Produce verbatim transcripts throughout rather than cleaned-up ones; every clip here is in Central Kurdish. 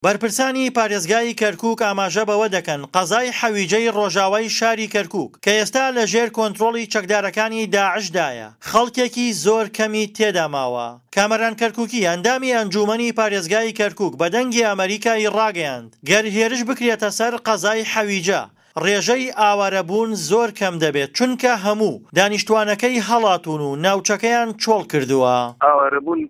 بەرپرسانی پارێزگای کەرکوک ئاماژە بەوە دەکەن، قەزای حەویجەی ڕۆژاوای شاری کەرکوک کە ئێستا لە ژێر کۆنترۆڵی چەکدارەکانی داعشدایە، خەڵکێکی زۆر کەمی تێدا ماوە. کامەران کەرکوکی، ئەندامی ئەنجوومەنی پارێزگای کەرکوک بە دەنگی ئەمەریکای ڕاگەیاند، گەر هێرش بکرێتە سەر قەزای حەویجە، ڕێژەی ئاوارەبوون زۆر کەم دەبێت، چونکە هەموو دانیشتوانەکەی هەڵاتوون و ناوچەکەیان چۆڵ کردووە. ئاوارەبوون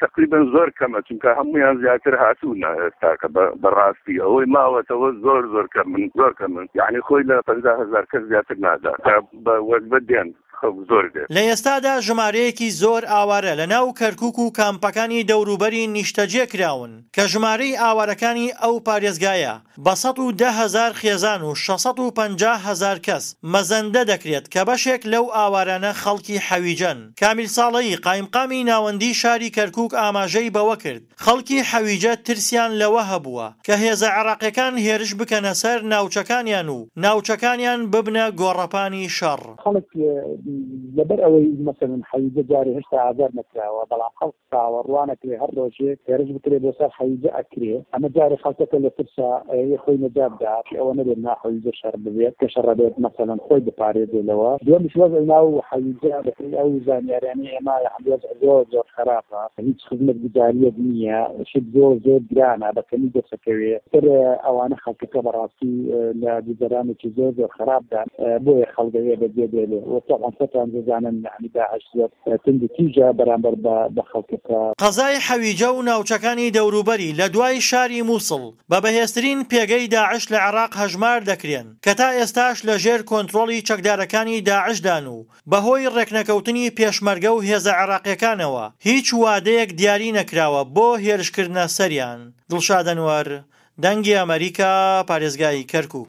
تەقریبەن زۆر کەمە، چونکە هەموویان زیاتر هاتوونە ئێستاکە. بەڕاستی ئەوەی ماوەتەوە زۆر زۆر کەمن، زۆر کەمن، یعنی خۆی لە پەنجا هەزار کەس زیاتر نادا کە بە وەجبە دێن، خەڵک زۆر دێت. لە ئێستادا ژمارەیەکی زۆر ئاوارە لە ناو کەرکوک و کامپەکانی دەوروبەری نیشتەجێ کراون کە ژمارەی ئاوارەکانی ئەو پارێزگایە بە سەد و دە هەزار خێزان و شەش سەد و پەنجا هەزار کەس مەزەندە دەکرێت کە بەشێک لەو ئاوارانە خەڵکی حەویجەن. کامیل ساڵەیی، قایمقامی ناوەندی شاری کەرکوک ئاماژەی بەوە کرد، خەڵکی حەویجە ترسیان لەوە هەبووە کە هێزە عێراقیەکان هێرش بکەنە سەر ناوچەکانیان و ناوچەکانیان ببنە گۆڕەپانی شەڕ. خەڵک لەبەر ئەوەی مەسەلەن حەویجە جارێ هێشتا ئازاد نەکراوە، بەڵام خەڵک چاوەڕوانەکرێ هەر ڕۆژێک هێرش بکرێ بۆ سەر حەویجە ئەکرێ. ئەمە جارێ خەڵکەکە لە ترسا ئەیەوێ خۆی نەجات دا، ئەوە نەبێت نا حەویجە شەڕ ببێت، کە شەڕە بێت مەسەلەن خۆی بپارێزێ لەوە. دووەمیش وەزعی ناو حەویجە بەپێی ئەو زانیاریانەی ئێمە یەعنی وەزع زۆر زۆر خراپە، هیچ خزمەتگوزاریەک نییە، شت زۆر زۆر گرانە، بە کەمی دەسەکەوێ. تر ئەوانە خەڵکەکە بەڕاستی لە گوزەرانێکی زۆر زۆر خراپدان، بۆیە خەڵک ئەوێ بەجێ بێلێ. و تەبعەن خۆتان دەزانن یەعنی داعش زۆر توند و تیژە بەرامبەر بە خەڵکەکە. قەزای حەویجە و ناوچەکانی دەوروبەری لە دوای شاری موسڵ بە بەهێزترین پێگەی داعش لە عێراق هەژمار دەکرێن کە تا ئێستاش لە ژێر کۆنترۆڵی چەکدارەکانی داعشدان و بەهۆی ڕێکنەکەوتنی پێشمەرگە و هێزە عێراقیەکانەوە هیچ وادەیەک دیاری نەکراوە بۆ هێرشکردنە سەریان. دڵشاد ئەنوەر، دەنگی ئەمەریکا، پارێزگای کەرکوک.